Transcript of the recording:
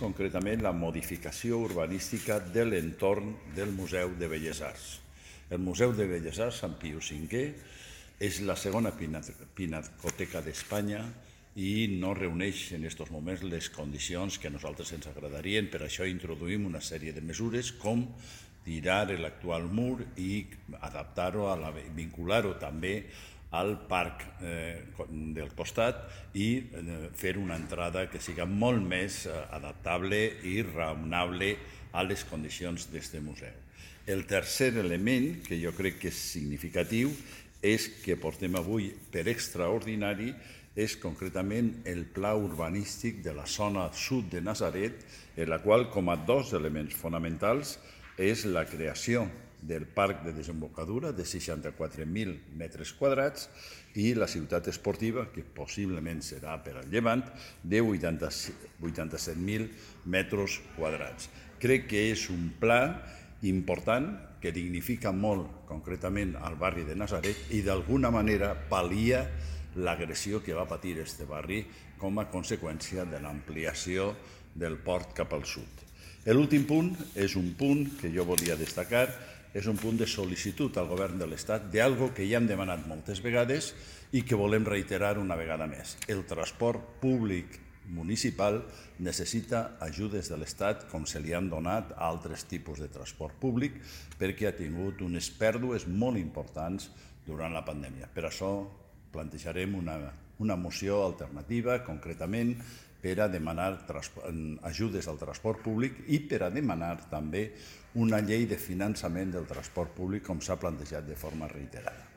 concretament la modificació urbanística de l'entorn del Museu de Belles Arts. El Museu de Belles Arts Sant Pius V és la segona pinacoteca d'Espanya i no reuneix en aquests moments les condicions que a nosaltres ens agradarien. Per això introduïm una sèrie de mesures com tirar l'actual mur i adaptar-ho, vincular-ho també al parc del costat i fer una entrada que siga molt més adaptable i raonable a les condicions d'aquest museu. El tercer element, que jo crec que és significatiu, és que portem avui per extraordinari és concretament el pla urbanístic de la zona sud de Natzaret, en la qual, com a dos elements fonamentals, és la creació del parc de desembocadura de 64.000 metres quadrats i la ciutat esportiva, que possiblement serà per al Llevant, de 87.000 metres quadrats. Crec que és un pla important que dignifica molt concretament al barri de Natzaret i d'alguna manera pal·lia l'agressió que va patir aquest barri com a conseqüència de l'ampliació del port cap al sud. L'últim punt és un punt que jo volia destacar, és un punt de sol·licitud al govern de l'Estat d'algo que ja hem demanat moltes vegades i que volem reiterar una vegada més. El transport públic municipal necessita ajudes de l'Estat com se li han donat a altres tipus de transport públic perquè ha tingut unes pèrdues molt importants durant la pandèmia. Per això plantejarem una moció alternativa, concretament, per a demanar ajudes al transport públic i per a demanar també una llei de finançament del transport públic com s'ha plantejat de forma reiterada.